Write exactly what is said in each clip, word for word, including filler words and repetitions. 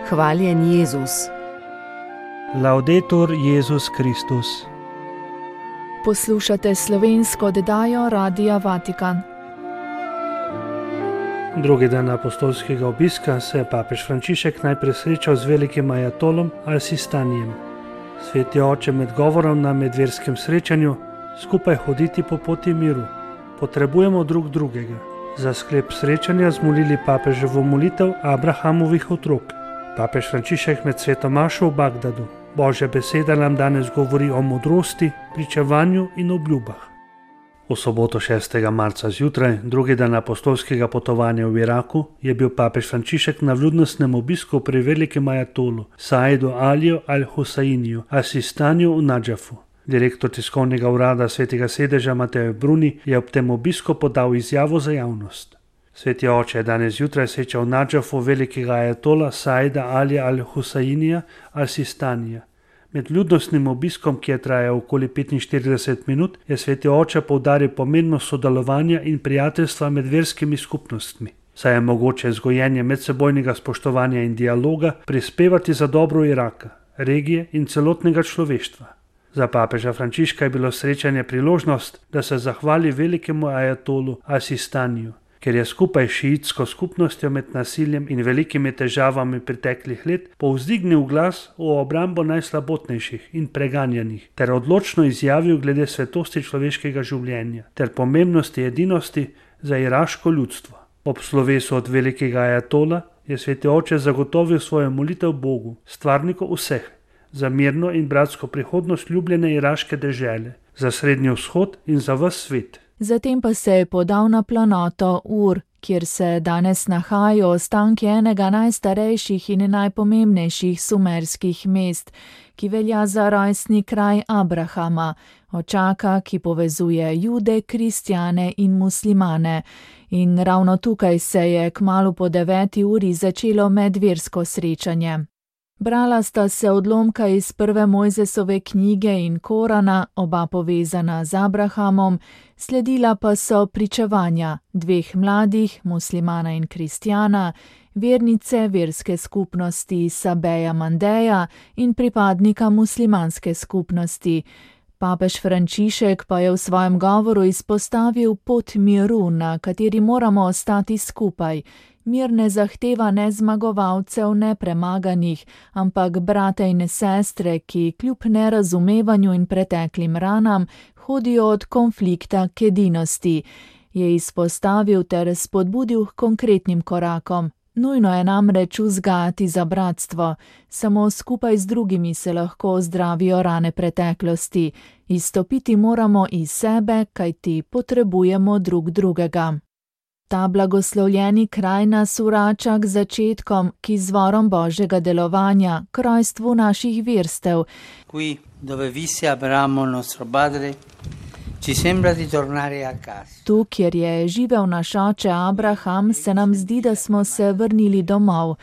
Hvaljen Jezus. Laudetur Jezus Kristus. Poslušate slovensko oddajo Radia Vatikan. Drugi dan apostolskega obiska se je papež Frančišek najprej srečal z velikim ajatolom Al-Sistanijem. Sveti oče med govorom na medverskem srečanju: skupaj hoditi po poti miru. Potrebujemo drug drugega. Za sklep srečanja zmolili papeževo molitev Abrahamovih otrok. Papež Frančišek med sveto mašo v Bagdadu. Božja beseda nam danes govori o modrosti, pričevanju in obljubah. V soboto šestega marca zjutraj, drugi dan apostolskega potovanja v Iraku, je bil papež Frančišek na vljudnostnem obisku pri velikem ajatolu Saidu Aliju al-Husainiju, Al-Sistaniju v Nadžafu. Direktor tiskovnega urada svetega sedeža Mateo Bruni je ob tem obisku podal izjavo za javnost. Sveti oče je danes zjutraj srečal v Nadžafu velikega ajatola Saida Alija al-Husainija Al-Sistanija. Med ljudnostnim obiskom, ki je trajal okoli petinštirideset minut, je sveti oče poudaril pomembnost sodelovanja in prijateljstva med verskimi skupnostmi, saj je mogoče z gojenjem medsebojnega spoštovanja in dialoga prispevati za dobro Iraka, regije in celotnega človeštva. Za papeža Frančiška je bilo srečanje priložnost, da se zahvali velikemu ajatolu Al-Sistaniju, ker je skupaj s šiitsko skupnostjo med nasiljem in velikimi težavami preteklih let povzdignil glas v obrambo najslabotnejših in preganjanih ter odločno izjavil glede svetosti človeškega življenja ter pomembnosti edinosti za iraško ljudstvo. Ob slovesu od velikega ajatola je sveti oče zagotovil svojo molitev Bogu, stvarniku vseh, za mirno in bratsko prihodnost ljubljene iraške dežele, za Srednji vzhod in za ves svet. Zatem pa se je podal na planoto Ur, kjer se danes nahajajo ostanki enega najstarejših in najpomembnejših sumerskih mest, ki velja za rojstni kraj Abrahama, očaka, ki povezuje Jude, kristjane in muslimane. In ravno tukaj se je kmalu po deveti uri začelo medversko srečanje. Brala sta se odlomka iz prve Mojzesove knjige in Korana, oba povezana z Abrahamom, sledila pa so pričevanja dveh mladih, muslimana in kristjana, vernice verske skupnosti Sabeja Mandeja in pripadnika muslimanske skupnosti. Papež Frančišek pa je v svojem govoru izpostavil pot miru, na kateri moramo ostati skupaj. Mir ne zahteva ne zmagovalcev, ne premaganih, ampak brate in sestre, ki kljub nerazumevanju in preteklim ranam hodijo od konflikta k edinosti, je izpostavil ter spodbudil k konkretnim korakom. Nujno je namreč vzgajati za bratstvo, samo skupaj z drugimi se lahko ozdravijo rane preteklosti. Izstopiti moramo iz sebe, kajti potrebujemo drug drugega. Ta blagoslovljeni kraj nas vrača k začetkom, k izvorom Božjega delovanja, k rojstvu naših verstev. Qui dove visse Abramo nostro padre, ci sembra di tornare a casa. Tu, kjer je živel naš oče Abraham, se nam zdi, da smo se vrnili domov.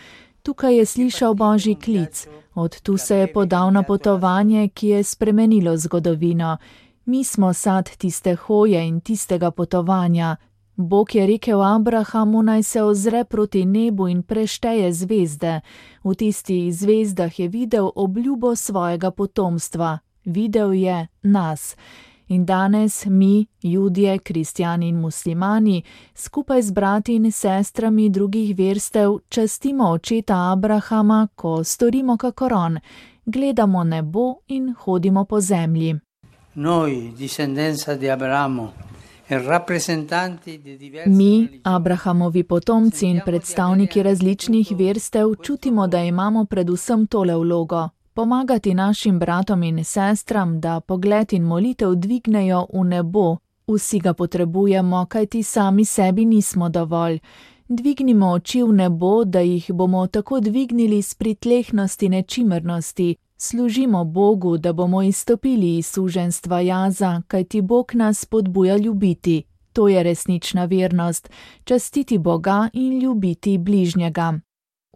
Tukaj je slišal Božji klic, od tu se je podal na potovanje, ki je spremenilo zgodovino. Mi smo sad tiste hoje in tistega potovanja. Bog je rekel Abrahamu, naj se ozre proti nebu in prešteje zvezde. V tistih zvezdah je videl obljubo svojega potomstva. Videl je nas. In danes mi, Judje, kristjani in muslimani, skupaj z brati in sestrami drugih verstev, častimo očeta Abrahama, ko storimo kakor on, gledamo nebo in hodimo po zemlji. Noi, discendenza di Abramo, Mi, Abrahamovi potomci in predstavniki različnih verstev, čutimo, da imamo predvsem tole vlogo: pomagati našim bratom in sestram, da pogled in molitev dvignejo v nebo. Vsi ga potrebujemo, kajti sami sebi nismo dovolj. Dvignimo oči v nebo, da jih bomo tako dvignili s pritlehnosti nečimrnosti. Služimo Bogu, da bomo izstopili iz suženjstva jaza, kajti Bog nas spodbuja ljubiti. To je resnična vernost, častiti Boga in ljubiti bližnjega.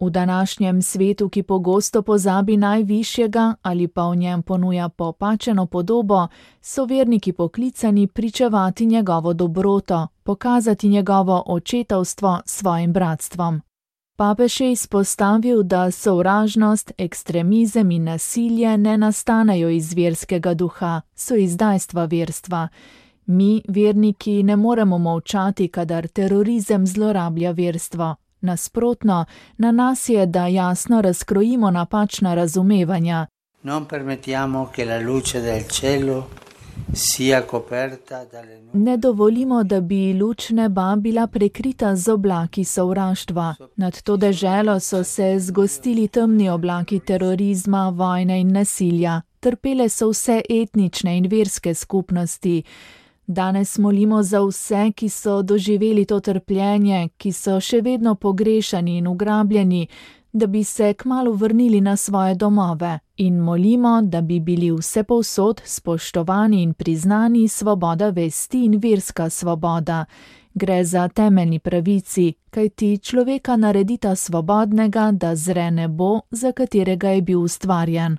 V današnjem svetu, ki pogosto pozabi najvišjega ali pa v njem ponuja popačeno podobo, so verniki poklicani pričevati njegovo dobroto, pokazati njegovo očetovstvo svojim bratstvom. Papež je izpostavil, da sovražnost, ekstremizem in nasilje ne nastanejo iz verskega duha, so izdajstva verstva. Mi, verniki, ne moremo molčati, kadar terorizem zlorablja verstvo. Nasprotno, na nas je, da jasno razkrojimo napačna razumevanja. Non permettiamo che la luce del cielo sia coperta dalle nuvole. Ne dovolimo, da bi luč neba bila prekrita z oblaki sovraštva. Nad to deželo so se zgostili temni oblaki terorizma, vojne in nasilja. Trpele so vse etnične in verske skupnosti. Danes molimo za vse, ki so doživeli to trpljenje, ki so še vedno pogrešani in ugrabljeni, da bi se kmalu vrnili na svoje domove. In molimo, da bi bili vsepovsod spoštovani in priznani svoboda vesti in verska svoboda. Gre za temeljni pravici, kajti človeka naredita svobodnega, da zre nebo, za katerega je bil ustvarjen.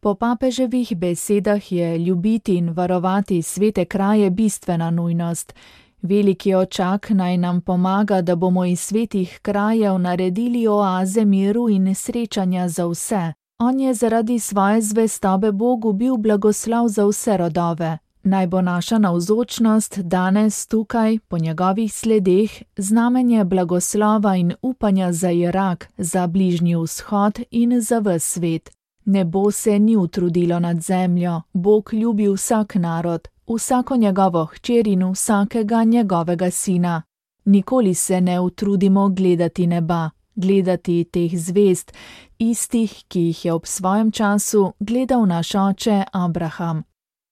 Po papeževih besedah je ljubiti in varovati svete kraje bistvena nujnost. Veliki očak naj nam pomaga, da bomo iz svetih krajev naredili oaze miru in srečanja za vse. On je zaradi svoje zvestobe Bogu bil blagoslov za vse rodove. Naj bo naša navzočnost danes tukaj, po njegovih sledeh, znamenje blagoslova in upanja za Irak, za Bližnji vzhod in za ves svet. Nebo se ni utrudilo nad zemljo, Bog ljubi vsak narod, vsako njegovo hčer in vsakega njegovega sina. Nikoli se ne utrudimo gledati neba, gledati teh zvezd, istih, ki jih je ob svojem času gledal naš oče Abraham.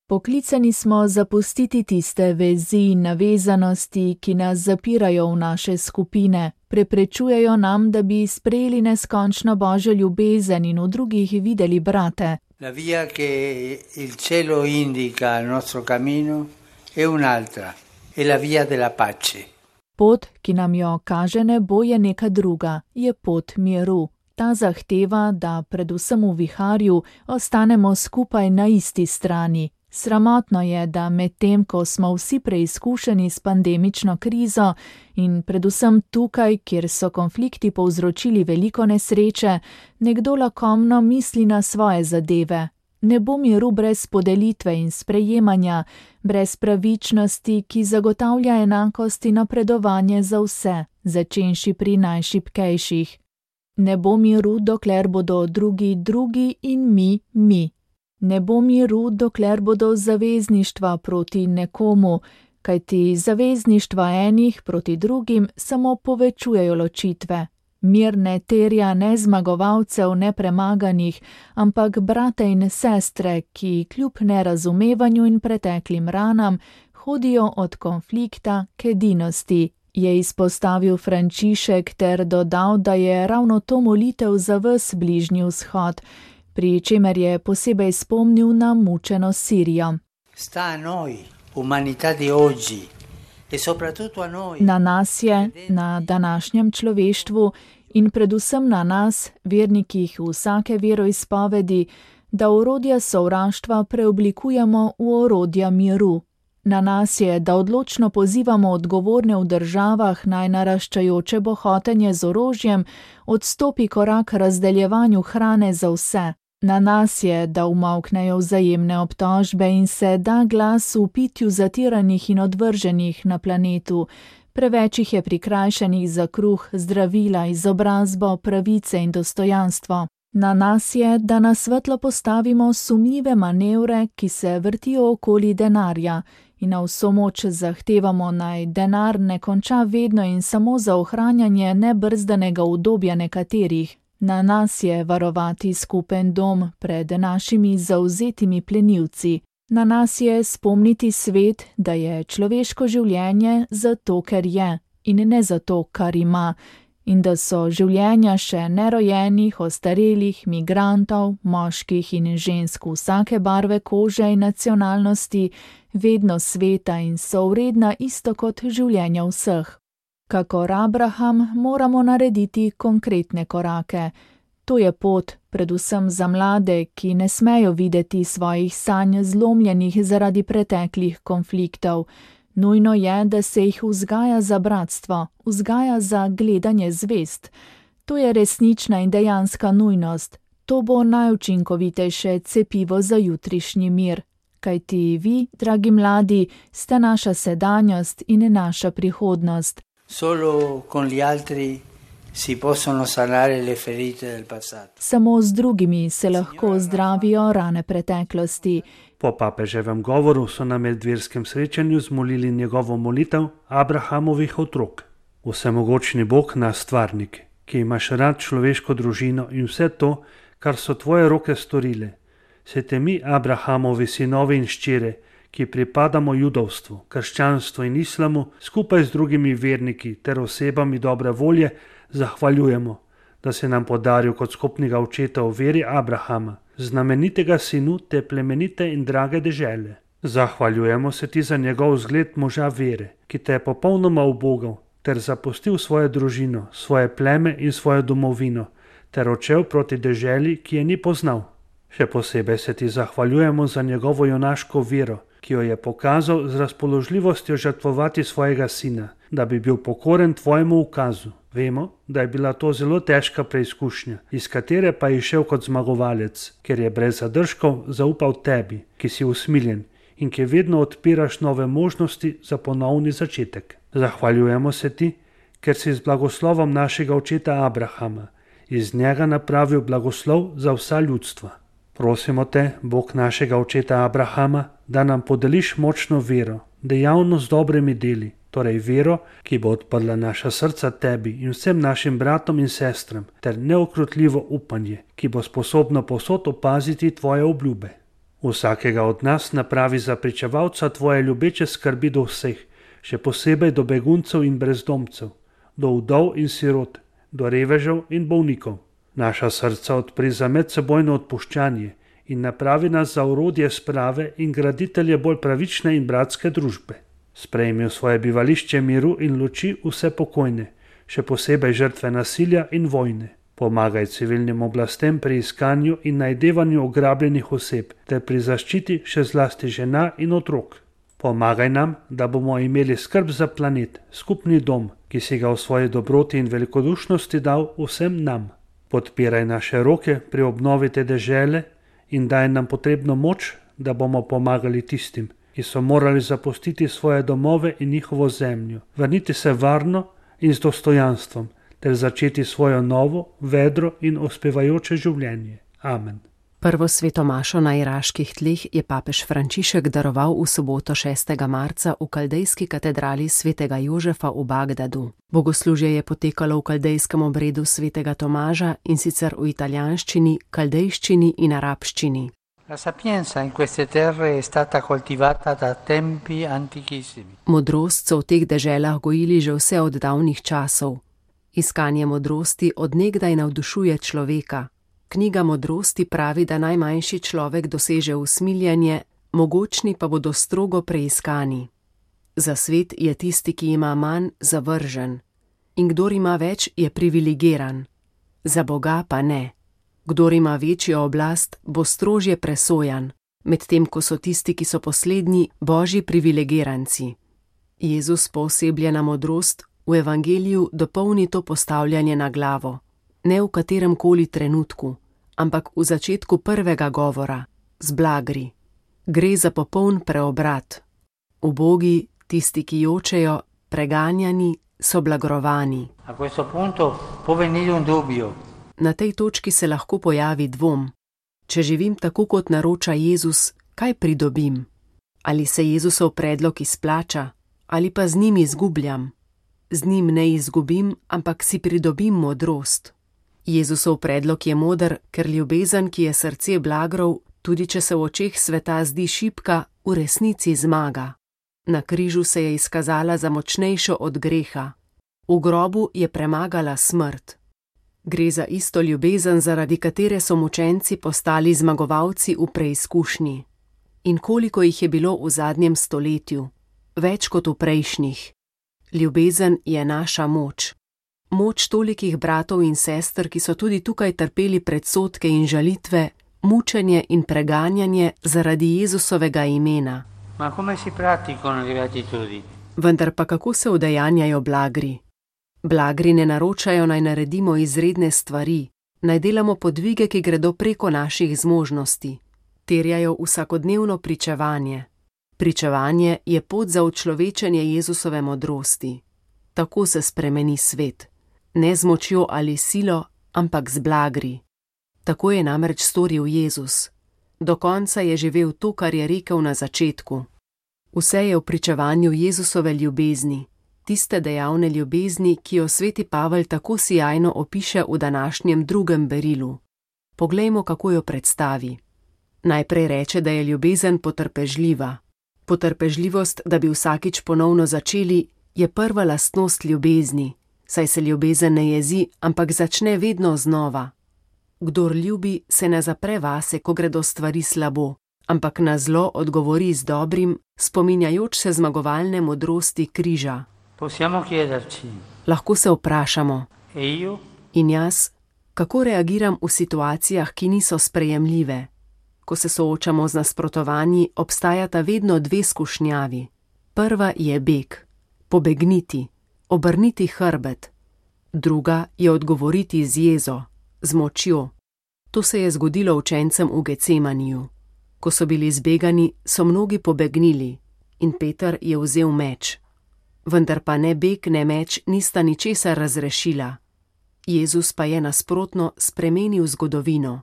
Poklicani smo zapustiti tiste vezi in navezanosti, ki nas zapirajo v naše skupine, preprečujejo nam, da bi sprejeli neskončno Božjo ljubezen in v drugih videli brate. La via che il cielo indica al nostro cammino è un'altra, è la via della pace. Pot, ki nam jo kaže nebo, je neka druga, je pot miru. Ta zahteva, da predvsem v viharju ostanemo skupaj na isti strani. Sramotno je, da medtem, ko smo vsi preizkušeni s pandemično krizo in predvsem tukaj, kjer so konflikti povzročili veliko nesreče, nekdo lakomno misli na svoje zadeve. Ne bo miru brez podelitve in sprejemanja, brez pravičnosti, ki zagotavlja enakost in napredovanje za vse, začenši pri najšibkejših. Ne bo miru, dokler bodo drugi drugi in mi mi. Ne bo miru, dokler bodo zavezništva proti nekomu, kajti zavezništva enih proti drugim samo povečujejo ločitve. Mir ne terja ne zmagovalcev, ne premaganih, ampak brate in sestre, ki kljub nerazumevanju in preteklim ranam hodijo od konflikta k edinosti, je izpostavil Frančišek ter dodal, da je ravno to molitev za ves Bližnji vzhod, pri čemer je posebej spomnil na mučeno Sirijo. Sta a noi, umanità di oggi, e soprattutto a noi. Na nas je, na današnjem človeštvu in predvsem na nas, vernikih vsake veroizpovedi, da orodja sovraštva preoblikujemo v orodja miru. Na nas je, da odločno pozivamo odgovorne v državah naj naraščajoče bohotenje z orožjem odstopi korak razdeljevanju hrane za vse. Na nas je, da umolknejo vzajemne obtožbe in se da glas v pitju zatiranih in odvrženih na planetu. Preveč jih je prikrajšanih za kruh, zdravila, izobrazbo, pravice in dostojanstvo. Na nas je, da na svetlo postavimo sumljive manevre, ki se vrtijo okoli denarja, in na vso moč zahtevamo naj denar ne konča vedno in samo za ohranjanje nebrzdanega udobja nekaterih. Na nas je varovati skupen dom pred našimi zavzetimi plenilci. Na nas je spomniti svet, da je človeško življenje zato, ker je, in ne zato, kar ima, in da so življenja še nerojenih, ostarelih, migrantov, moških in žensk vsake barve kože in nacionalnosti vedno sveta in so vredna isto kot življenja vseh. Kakor Abraham moramo narediti konkretne korake. To je pot, predvsem za mlade, ki ne smejo videti svojih sanj zlomljenih zaradi preteklih konfliktov. Nujno je, da se jih vzgaja za bratstvo, vzgaja za gledanje zvezd. To je resnična in dejanska nujnost. To bo najučinkovitejše cepivo za jutrišnji mir. Kajti vi, dragi mladi, ste naša sedanjost in naša prihodnost. Solo con gli altri si possono sanare le ferite del passato. Samo z drugimi se lahko zdravijo rane preteklosti. Po papeževem govoru so na medverskem srečanju zmolili njegovo molitev Abrahamovih otrok. Vsemogočni Bog, naš stvarnik, ki imaš rad človeško družino in vse to, kar so tvoje roke storile. Se te mi, Abrahamovi sinovi in ščere, ki pripadamo judovstvu, krščanstvu in islamu, skupaj z drugimi verniki ter osebami dobre volje, zahvaljujemo, da se nam podaril kot skupnega očeta v veri Abrahama, znamenitega sinu te plemenite in drage dežele. Zahvaljujemo se ti za njegov zgled moža vere, ki te je popolnoma ubogal, ter zapustil svojo družino, svoje pleme in svojo domovino, ter odšel proti deželi, ki je ni poznal. Še posebej se ti zahvaljujemo za njegovo junaško vero, ki jo je pokazal z razpoložljivostjo žrtvovati svojega sina, da bi bil pokoren tvojemu ukazu. Vemo, da je bila to zelo težka preizkušnja, iz katere pa je išel kot zmagovalec, ker je brez zadržkov zaupal tebi, ki si usmiljen in ki vedno odpiraš nove možnosti za ponovni začetek. Zahvaljujemo se ti, ker si z blagoslovom našega očeta Abrahama iz njega napravil blagoslov za vsa ljudstva. Prosimo te, Bog našega očeta Abrahama, da nam podeliš močno vero, dejavno z dobrimi deli, torej vero, ki bo odprla naša srca tebi in vsem našim bratom in sestram, ter neokrutljivo upanje, ki bo sposobno povsod opaziti tvoje obljube. Vsakega od nas napravi za pričevalca tvoje ljubeče skrbi do vseh, še posebej do beguncev in brezdomcev, do vdov in sirot, do revežev in bolnikov. Naša srca odpri za medsebojno odpuščanje in napravi nas za orodje sprave in graditelje bolj pravične in bratske družbe. Sprejmi v svoje bivališče miru in luči vse pokojne, še posebej žrtve nasilja in vojne. Pomagaj civilnim oblastem pri iskanju in najdevanju ograbljenih oseb ter pri zaščiti še zlasti žena in otrok. Pomagaj nam, da bomo imeli skrb za planet, skupni dom, ki si ga v svoji dobroti in velikodušnosti dal vsem nam. Podpiraj naše roke pri obnovi te dežele in daj nam potrebno moč, da bomo pomagali tistim, ki so morali zapustiti svoje domove in njihovo zemljo, vrniti se varno in z dostojanstvom, ter začeti svojo novo, vedro in uspevajoče življenje. Amen. Prvo sveto mašo na iraških tleh je papež Frančišek daroval v soboto šestega marca v kaldejski katedrali svetega Jožefa v Bagdadu. Bogoslužje je potekalo v kaldejskem obredu svetega Tomaža in sicer v italijanščini, kaldejščini in arabščini. La sapienza in queste terre è stata coltivata da tempi antichissimi. Modrost so v teh deželah gojili že vse od davnih časov. Iskanje modrosti od nekdaj navdušuje človeka. Knjiga modrosti pravi, da najmanjši človek doseže usmiljenje, mogočni pa bodo strogo preiskani. Za svet je tisti, ki ima manj, zavržen. In kdor ima več, je privilegiran. Za Boga pa ne. Kdor ima večjo oblast, bo strožje presojan, medtem ko so tisti, ki so poslednji, božji privilegiranci. Jezus poosebljena modrost v evangeliju dopolni to postavljanje na glavo. Ne v katerem koli trenutku, ampak v začetku prvega govora, z blagri. Gre za popoln preobrat. Ubogi, tisti, ki jočejo, preganjani, so blagrovani. A questo punto può venire un dubbio. Na tej točki se lahko pojavi dvom. Če živim tako, kot naroča Jezus, kaj pridobim? Ali se Jezusov predlog izplača, ali pa z njim izgubljam? Z njim ne izgubim, ampak si pridobim modrost. Jezusov predlog je moder, ker ljubezen, ki je srce blagrov, tudi če se v očeh sveta zdi šibka, v resnici zmaga. Na križu se je izkazala za močnejšo od greha. V grobu je premagala smrt. Gre za isto ljubezen, zaradi katere so mučenci postali zmagovalci v preizkušnji. In koliko jih je bilo v zadnjem stoletju? Več kot v prejšnjih. Ljubezen je naša moč. Moč tolikih bratov in sester, ki so tudi tukaj trpeli predsodke in žalitve, mučenje in preganjanje zaradi Jezusovega imena. Ma come si praticano le beatitudini? Vendar pa kako se udejanjajo blagri? Blagri ne naročajo, naj naredimo izredne stvari, naj delamo podvige, ki gredo preko naših zmožnosti. Terjajo vsakodnevno pričevanje. Pričevanje je pot za učlovečenje Jezusove modrosti. Tako se spremeni svet. Ne z močjo ali silo, ampak z blagri. Tako je namreč storil Jezus. Do konca je živel to, kar je rekel na začetku. Vse je v pričevanju Jezusove ljubezni, tiste dejavne ljubezni, ki jo sveti Pavel tako sijajno opiše v današnjem drugem berilu. Poglejmo, kako jo predstavi. Najprej reče, da je ljubezen potrpežljiva. Potrpežljivost, da bi vsakič ponovno začeli, je prva lastnost ljubezni, saj se ljubezen ne jezi, ampak začne vedno znova. Kdor ljubi, se ne zapre vase, ko gredo stvari slabo, ampak na zlo odgovori z dobrim, spominjajoč se zmagovalne modrosti križa. Lahko se vprašamo, in jaz, kako reagiram v situacijah, ki niso sprejemljive? Ko se soočamo z nasprotovanji, obstajata vedno dve skušnjavi. Prva je beg, pobegniti, obrniti hrbet. Druga je odgovoriti z jezo, z močjo. To se je zgodilo učencem v Gecemaniju. Ko so bili zbegani, so mnogi pobegnili in Peter je vzel meč. Vendar pa ne beg, ne meč nista ničesar razrešila. Jezus pa je nasprotno spremenil zgodovino.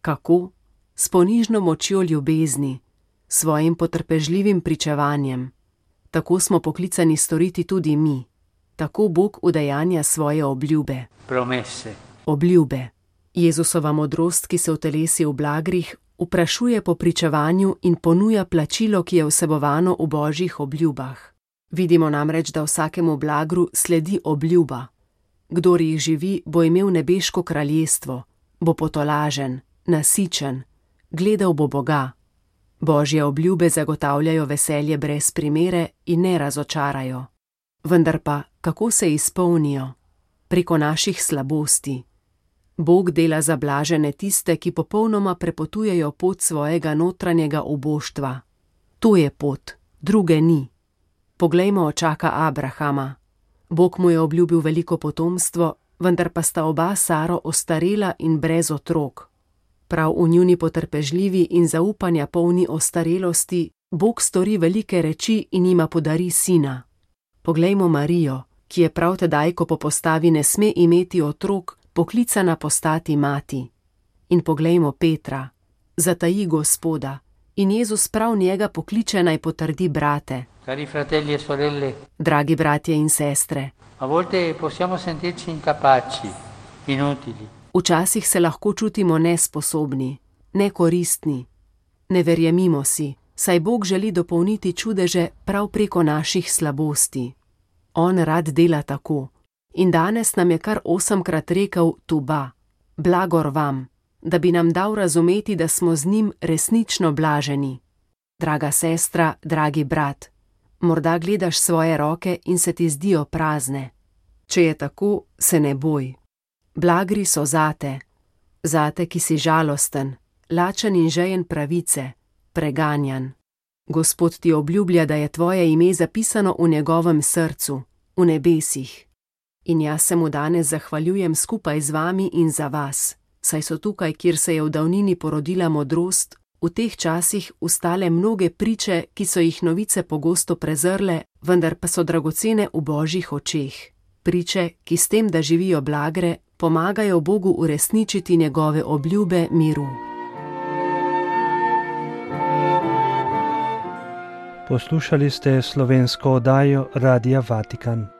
Kako? S ponižno močjo ljubezni, svojim potrpežljivim pričevanjem. Tako smo poklicani storiti tudi mi. Tako Bog udejanja svoje obljube. Promese. Obljube. Jezusova modrost, ki se utelesi v blagrih, vprašuje po pričevanju in ponuja plačilo, ki je vsebovano v Božjih obljubah. Vidimo namreč, da vsakemu blagru sledi obljuba. Kdor jih živi, bo imel nebeško kraljestvo, bo potolažen, nasičen, gledal bo Boga. Božje obljube zagotavljajo veselje brez primere in ne razočarajo. Vendar pa, kako se izpolnijo? Preko naših slabosti. Bog dela za blažene tiste, ki popolnoma prepotujejo pot svojega notranjega uboštva. To je pot, druge ni. Poglejmo očaka Abrahama. Bog mu je obljubil veliko potomstvo, vendar pa sta oba Saro ostarela in brez otrok. Prav v njuni potrpežljivi in zaupanja polni ostarelosti Bog stori velike reči in jima podari sina. Poglejmo Marijo, ki je prav tedaj, ko po postavi ne sme imeti otrok, poklicana postati mati. In poglejmo Petra, zataji Gospoda, in Jezus prav njega pokliče naj potrdi brate. Cari fratelli e sorelle, dragi bratje in sestre, a volte possiamo sentirci incapaci, inutili. Včasih se lahko čutimo nesposobni, nekoristni. Ne verjemimo si, saj Bog želi dopolniti čudeže prav preko naših slabosti. On rad dela tako. In danes nam je kar osemkrat rekel tuba, blagor vam, da bi nam dal razumeti, da smo z njim resnično blaženi. Draga sestra, dragi brat, morda gledaš svoje roke in se ti zdijo prazne. Če je tako, se ne boj. Blagri so zate, zate, ki si žalosten, lačen in žejen pravice, preganjan. Gospod ti obljublja, da je tvoje ime zapisano v njegovem srcu, v nebesih. In jaz se mu danes zahvaljujem skupaj z vami in za vas, saj so tukaj, kjer se je v davnini porodila modrost, v teh časih ustale mnoge priče, ki so jih novice pogosto prezrle, vendar pa so dragocene v Božjih očeh. Priče, ki s tem, da živijo blagre, pomagajo Bogu uresničiti njegove obljube miru. Poslušali ste slovensko oddajo Radia Vatikan.